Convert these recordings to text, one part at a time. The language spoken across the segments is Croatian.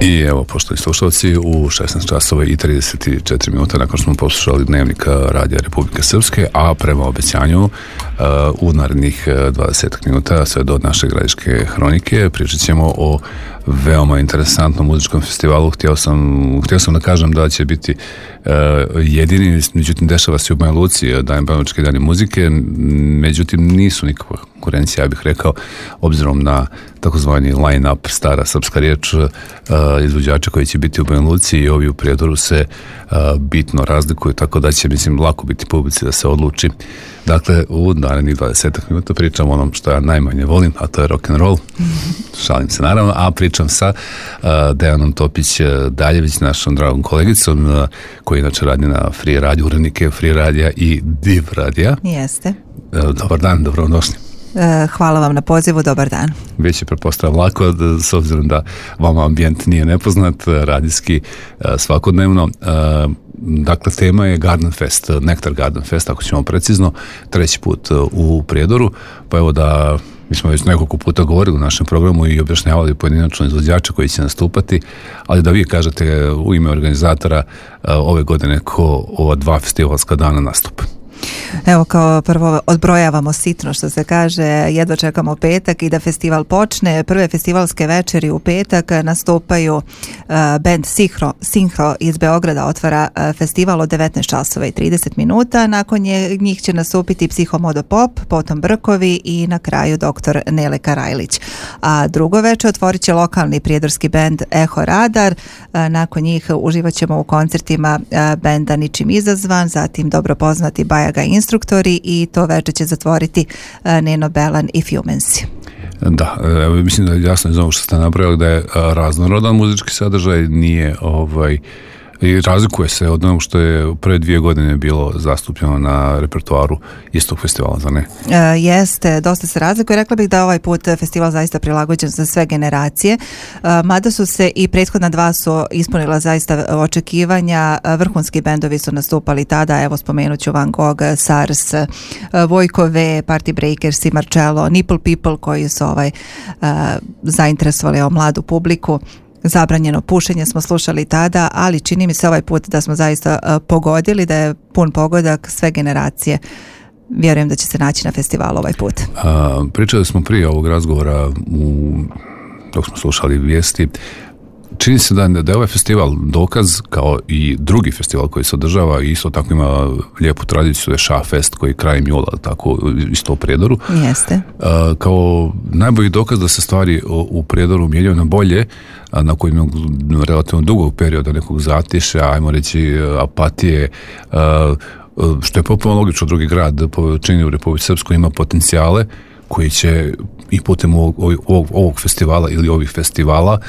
I evo, poštovani slušalci, u 16 časova i 34 minuta nakon što smo poslušali dnevnik Radija Republike Srpske, a prema obećanju u narednih 20 minuta sve do naše gradiške hronike pričat ćemo o veoma interesantnom muzičkom festivalu. Htio sam da kažem da će biti jedini, međutim dešava se u Banja Luci, Banjalučki dani muzike, međutim nisu nikakva konkurencija, ja bih rekao, obzirom na takozvani line-up, stara srpska riječ, izvođača koji će biti u Banja Luci i ovi u Prijedoru se bitno razlikuju, tako da će, mislim, lako biti publici da se odluči. Dakle, u narednih 20 minuta pričam o onom što ja najmanje volim, a to je rock'n'roll. Šalim se naravno, a pričam sa Dejanom Topić-Daljević, našom dragom kolegicom, koji inače radi na Free Radio, urednike Free Radija i Div Radija. Jeste. Dobar dan, dobrodošli. Hvala vam na pozivu, dobar dan. Već je pretpostavljam lako, s obzirom da vama ambijent nije nepoznat, radijski svakodnevno. Dakle, tema je Garden Fest, Nektar Garden Fest, ako ćemo precizno, treći put u Prijedoru, pa evo da mi smo već nekoliko puta govorili u našem programu i objašnjavali pojedinačno izvođače koji će nastupati, ali da vi kažete u ime organizatora ove godine ko ova dva festivalska dana nastupa. Evo, kao prvo odbrojavamo sitno, što se kaže, jedva čekamo petak i da festival počne. Prve festivalske večeri u petak nastupaju band Sinhro iz Beograda, otvara festival od 19 časova i 30 minuta. Nakon njih će nastupiti Psihomodo Pop, potom Brkovi i na kraju dr. Nele Karajlić. A drugo večer otvorit će lokalni prijedorski band Eho Radar. Nakon njih uživat ćemo u koncertima benda Ničim izazvan, zatim dobro poznati Bajaga Instruktori i to večer će zatvoriti Neno Belan i Fumensi. Da, mislim da je jasno iz ovog što ste napravili da je raznorodan muzički sadržaj, nije i razlikuje se od onog što je prve 2 godine bilo zastupljeno na repertoaru istog festivala, za ne? Jeste, dosta se razlikuje. Rekla bih da ovaj put festival zaista prilagođen za sve generacije, mada su se i prethodna dva su ispunila zaista očekivanja. Vrhunski bendovi su nastupali tada, evo spomenut ću Van Gogh, SARS, Vojko V, Party Breakers i Marcello, Nipple People koji su zainteresovali mladu publiku. Zabranjeno pušenje smo slušali tada, ali čini mi se ovaj put da smo zaista pogodili, da je pun pogodak, sve generacije. Vjerujem da će se naći na festivalu ovaj put. Pričali smo prije ovog razgovora dok smo slušali vijesti. Čini se da je ovaj festival dokaz, kao i drugi festival koji se održava, isto tako ima lijepu tradiciju, je Ša Fest koji je krajem jula, tako isto u Prijedoru. Jeste. Kao najbolji dokaz da se stvari u Prijedoru mijenjaju na bolje, nakon jednog relativno dugog perioda nekog zatišja, ajmo reći apatije, što je potpuno logično. Drugi grad po veličini u Republici Srpskoj ima potencijale koji će i putem ovog festivala ili ovih festivala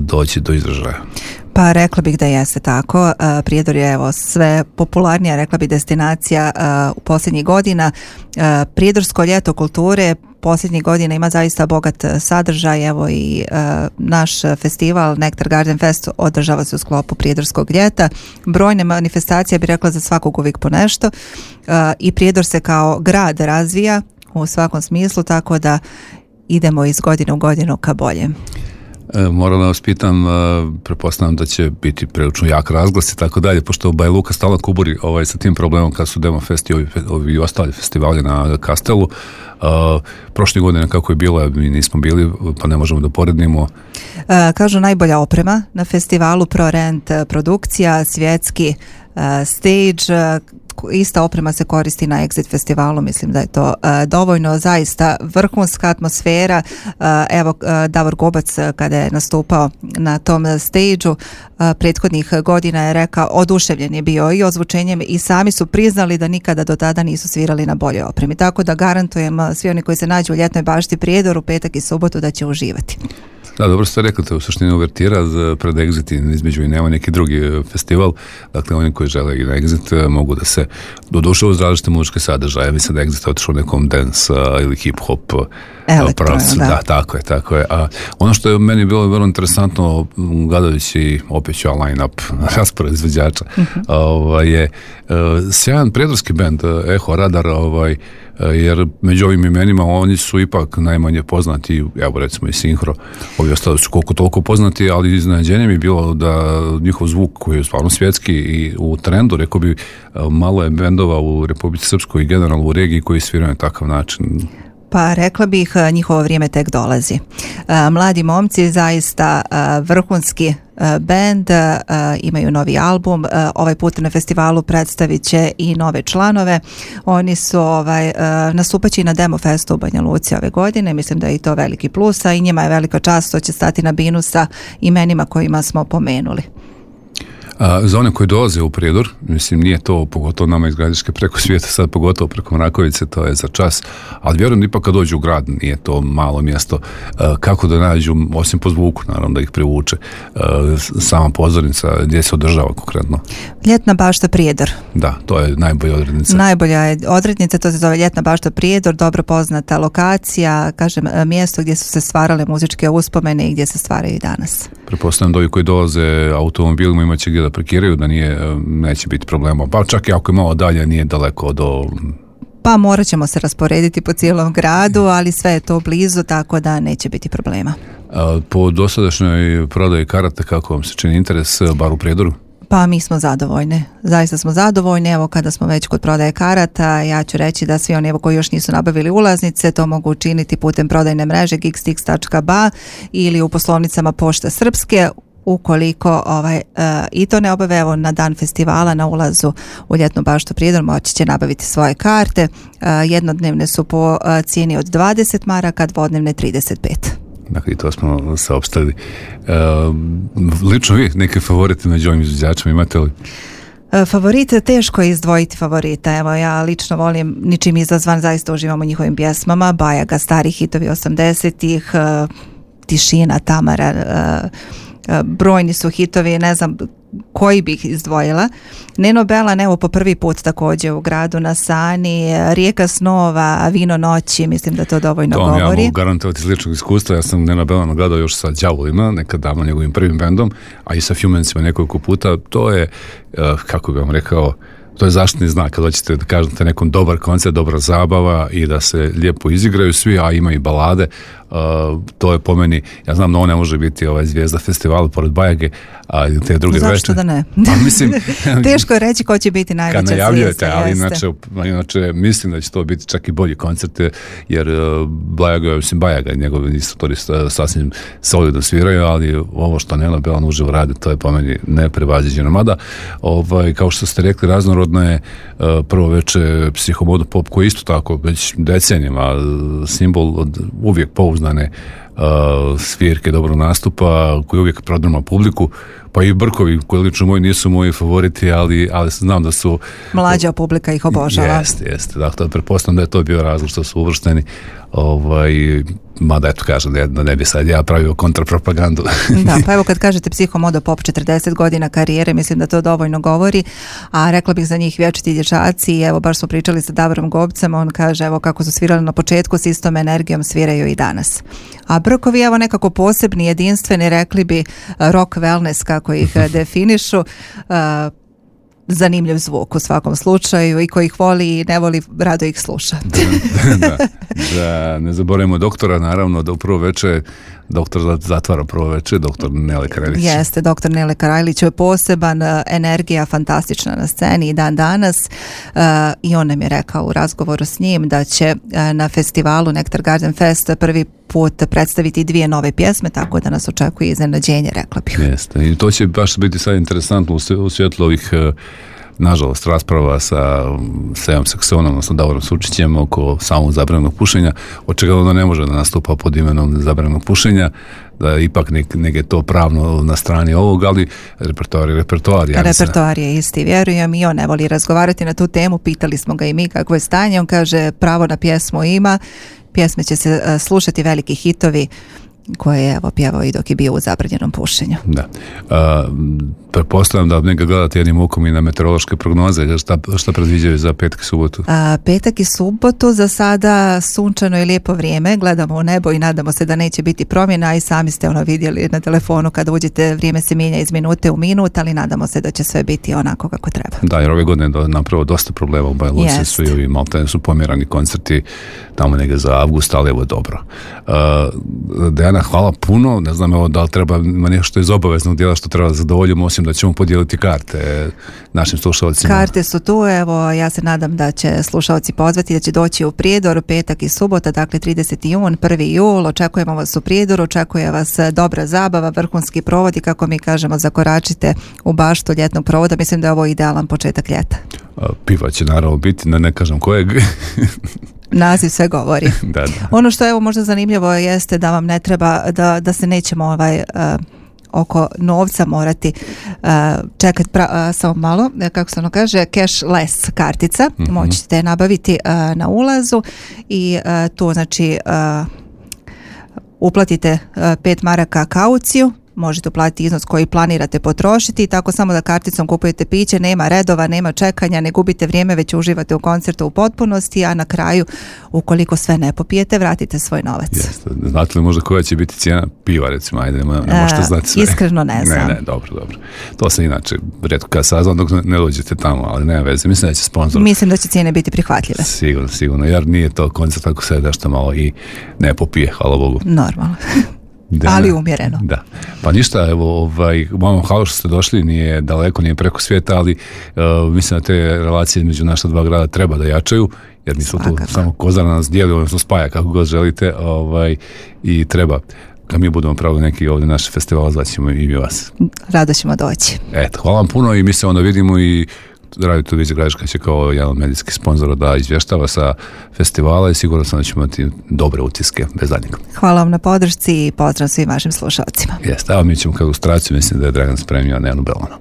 doći do izražaja. Pa rekla bih da jeste tako. Prijedor je sve popularnija, rekla bih, destinacija u posljednjih godina. Prijedorsko ljeto kulture posljednjih godina ima zaista bogat sadržaj. Evo i naš festival Nektar Garden Fest održava se u sklopu Prijedorskog ljeta. Brojne manifestacije, bi rekla, za svakog uvijek po nešto. I Prijedor se kao grad razvija u svakom smislu, tako da idemo iz godine u godinu ka boljem. Moram da vas pitam, pretpostavljam da će biti prilično jak razglas i tako dalje, pošto Banja Luka stalno kuburi sa tim problemom kad su Demo Fest i ovi ostali festivali na Kastelu. Prošle godine kako je bilo, mi nismo bili, pa ne možemo da porednimo. Kažu najbolja oprema na festivalu, ProRent produkcija, svjetski stage, ista oprema se koristi na Exit festivalu, mislim da je to dovoljno, zaista vrhunska atmosfera. Evo, Davor Gobac kada je nastupao na tom stage-u prethodnih godina je rekao, oduševljen je bio i ozvučenjem i sami su priznali da nikada do tada nisu svirali na boljoj opremi, tako da garantujem svi oni koji se nađu u ljetnoj bašti Prijedoru petak i subotu da će uživati. Da, dobro ste rekli, to je u suštini uvertira pred Exit, između i nema neki drugi festival, dakle oni koji žele i na Exit mogu da se doduše uz različite muzičke sadržaje. Mislim da Exit je otišao nekom dance ili hip-hop pravcu. Da, tako je. A ono što je meni bilo vrlo interesantno, gledajući opet ću line-up raspored izvođača, je sjajan prijedorski bend Eho Radar, jer među ovim imenima oni su ipak najmanje poznati, evo recimo i Sinhro, ovi ostali su koliko toliko poznati, ali iznenađenje mi je bilo da njihov zvuk koji je stvarno svjetski i u trendu, rekao bi, malo je bendova u Republici Srpskoj i generalno u regiji koji sviraju na takav način. Pa rekla bih, njihovo vrijeme tek dolazi. Mladi momci, zaista vrhunski bend, imaju novi album, ovaj put na festivalu predstavit će i nove članove. Oni su nastupaći na Demo Festu u Banja Luci ove godine, mislim da je i to veliki plus, a i njima je velika čast što će stati na binu sa imenima kojima smo pomenuli. Za one koji dolaze u Prijedor, mislim nije to pogotovo nama iz Gradiške preko svijeta, sad pogotovo preko Mrakovice, to je za čas, ali vjerujem ipak kad dođu u grad, nije to malo mjesto, kako da nađu, osim po zvuku naravno da ih privuče, sama pozornica gdje se održava konkretno. Ljetna bašta Prijedor. Da, to je najbolja odrednica. Najbolja je odrednica, to se zove Ljetna bašta Prijedor, dobro poznata lokacija, kažem, mjesto gdje su se stvarale muzičke uspomene i gdje se stvaraju i danas. Pretpostavljam da ovi koji dolaze automobilima imat će gdje da parkiraju, da neće biti problema. Pa čak i ako je malo dalje, nije daleko do... Pa morat ćemo se rasporediti po cijelom gradu, ali sve je to blizu, tako da neće biti problema. Po dosadašnjoj prodaji karata, kako vam se čini interes, bar u Prijedoru? Pa mi smo zadovoljni, zaista smo zadovoljni. Evo, kada smo već kod prodaje karata, ja ću reći da svi oni koji još nisu nabavili ulaznice to mogu učiniti putem prodajne mreže gigstix.ba ili u poslovnicama Pošte Srpske. Ukoliko i to ne obave, evo na dan festivala na ulazu u Ljetnu baštu Prijedor moći će nabaviti svoje karte. Jednodnevne su po cijeni od 20 maraka, dvodnevne 35. Dakle, i to smo saopštili. Lično vi neke favorite među ovim izvođačima imate li? Favorite, teško je izdvojiti favorita. Evo, ja lično volim Ničim izazvan, zaista uživam u njihovim pjesmama. Bajaga, stari hitovi 80-ih, Tišina, Tamara, brojni su hitovi, ne znam koji bih izdvojila. Neno Belan, evo po prvi put također u gradu na Sani, Rijeka snova, Vino noći, mislim da to dovoljno govori. To vam ja mogu garantovati iz ličnog iskustva, ja sam Neno Belana gledao još sa Đavolima, nekad davno njegovim prvim bendom, a i sa Fjumencima nekoliko puta. To je, kako bih vam rekao, to je zaštitni znak kad hoćete da kažete nekom dobar koncert, dobra zabava i da se lijepo izigraju svi, a ima i balade. To je po meni, ja znam da on ne može biti zvijezda festivala pored Bajage, a te druge večeri. Zašto da ne? Mislim, teško je reći ko će biti najveća zvijezda. Kad najavljujete, ali inače mislim da će to biti čak i bolji koncert, jer Bajaga, njegovi instruktori sasvim solidno sviraju, ali ovo što Neno Belan uživo radi, to je po meni neprevaziđeno. Mada, kao što ste rekli, raznorodno je prvo veče Psihomodo Pop, koji isto tako već decenijama simbol od uvijek pouzdane svirke, dobro nastupa, koji uvijek prodrma publiku, pa i Brkovi, koji lično moji nisu moji favoriti, ali znam da su... Mlađa publika ih obožava. Jeste. Dakle, pretpostavljam da je to bio razlog što su uvršteni, mada eto kažem da ne bi sad ja pravio kontrapropagandu. Da, pa evo kad kažete Psihomodo Pop 40 godina karijere, mislim da to dovoljno govori, a rekla bih za njih vječiti dječaci, evo baš smo pričali sa Davorom Gobcem, on kaže evo kako su svirali na početku s istom energijom sviraju i danas. A Brkovi evo nekako posebni, jedinstveni, rekli bi rock wellness kako ih definišu, zanimljiv zvuk u svakom slučaju i ko ih voli i ne voli, rado ih sluša. Da, ne zaboravimo doktora, naravno, da u prvo veče doktor zatvara prvo veče, doktor Nele Karajlić. Jeste, doktor Nele Karajlić je poseban, energija fantastična na sceni i dan danas, i on nam je rekao u razgovoru s njim da će na festivalu Nektar Garden Fest prvi put predstaviti 2 nove pjesme, tako da nas očekuje iznenađenje, rekla bih. Jeste, i to će baš biti sad interesantno u svjetlu ovih nažalost rasprava sa Sejom Saksonom, odnosno Davorom Sučićem oko samog zabranog pušenja, od čega onda ne može da nastupa pod imenom zabranog pušenja, da ipak nek je to pravno na strani ovog, ali repertoar je repertoar. Repertoar je isti, vjerujem, i on ne voli razgovarati na tu temu, pitali smo ga i mi kakvo je stanje, on kaže pravo na pjesmu ima, pjesme će se slušati, veliki hitovi, koje je pjevao i dok je bio u zabranjenom pušenju. Da. Pretpostavljam da neka gledate jednim okom i na meteorološke prognoze. Šta predviđaju za petak i subotu? Petak i subotu za sada sunčano i lijepo vrijeme. Gledamo u nebo i nadamo se da neće biti promjena, i sami ste vidjeli na telefonu kada uđete, vrijeme se mijenja iz minute u minut, ali nadamo se da će sve biti onako kako treba. Da, jer ove godine je napravo dosta problema u Banja Luci, su i ovi maltene su pomjerani koncerti tamo negdje za avgust, ali evo dobro. Dejana, hvala puno. Ne znam da li treba ima nešto iz obaveznog dijela što treba zadovoljiti, osim da ćemo podijeliti karte našim slušalcima. Karte su tu, ja se nadam da će slušalci pozvati, da će doći u Prijedor petak i subota, dakle 30. jun, 1. jul, očekujemo vas u Prijedoru, očekuje vas dobra zabava, vrhunski provod i kako mi kažemo, zakoračite u baštu ljetnog provoda. Mislim da je ovo idealan početak ljeta. Piva će naravno biti, ne kažem kojeg. Naziv sve govori. Da. Ono što je možda zanimljivo jeste da vam ne treba, da se nećemo oko novca morati čekati samo malo, kako se ono kaže, cashless kartica, moći ćete je nabaviti na ulazu i tu znači uplatite 5 maraka kauciju, možete uplatiti iznos koji planirate potrošiti i tako samo da karticom kupujete piće, nema redova, nema čekanja, ne gubite vrijeme, već uživate u koncertu u potpunosti, a na kraju, ukoliko sve ne popijete, vratite svoj novac. Jeste. Znate li možda koja će biti cijena piva, recimo, ajde, ne možete znati sve. Iskreno ne znam. Ne, dobro. To se inače rijetko kada saznam dok ne dođete tamo, ali nema veze. Mislim da će sponsor... Mislim da će cijene biti prihvatljive. Sigurno, jer nije to koncert ako se nešto malo i ne popije, hvala Bogu. Normalno. Ali umjereno. Da. Pa ništa, evo, vama hvala što ste došli, nije daleko, nije preko svijeta, ali mislim da te relacije između naša dva grada treba da jačaju, jer nisu tu samo Kozara nas dijeli, odnosno spaja kako god želite, i treba, kad mi budemo pravili neki ovdje naš festival, zvaćemo i mi vas. Rado ćemo doći. Eto, hvala vam puno i mi se onda vidimo i Radio Televizija Gradiška će kao jedan od medijskih sponzora da izvještava sa festivala i sigurno sam da ćemo imati dobre utiske bez zadnjeg. Hvala vam na podršci i pozdrav svim vašim slušalcima. Jeste, evo mi ćemo kao ilustraciju, mislim da je Dragan spremio Nejanu Belanu.